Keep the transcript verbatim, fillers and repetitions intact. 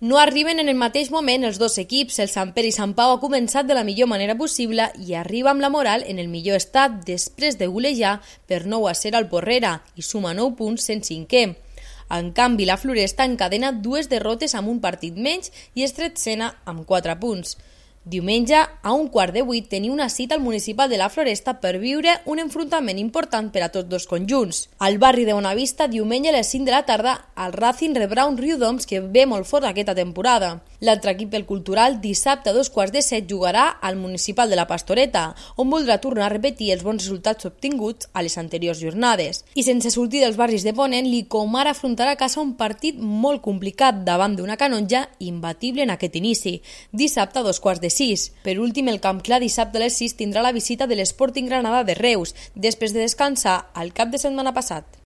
No arriben en el mateix moment els dos equips. El Sant Pere i Sant Pau ha començat de la millor manera possible i arriba amb la moral en el millor estat després de golejar per nou a zero al Porrera i suma nou punts en cinquè. En canvi, la Floresta encadena dues derrotes amb un partit menys i és tretzena amb quatre punts. Diumenge, a un quart de vuit, tenia una cita al municipal de la Floresta per viure un enfrontament important per a tots dos conjunts. Al barri de Bonavista, diumenge a les cinc de la tarda, el Racing rebrà un Riudoms que ve molt fort aquesta temporada. L'altre equip del Cultural, dissabte a dos quarts de set, jugarà al municipal de la Pastoreta, on voldrà tornar a repetir els bons resultats obtinguts a les anteriors jornades. I sense sortir dels barris de Ponent, l'Icomar afrontarà a casa un partit molt complicat davant d'una Canonja imbatible en aquest inici, dissabte a dos quarts de sis. Per últim, el Camp Clar dissabte a les sis tindrà la visita de l'Sporting Granada de Reus, després de descansar el cap de setmana passat.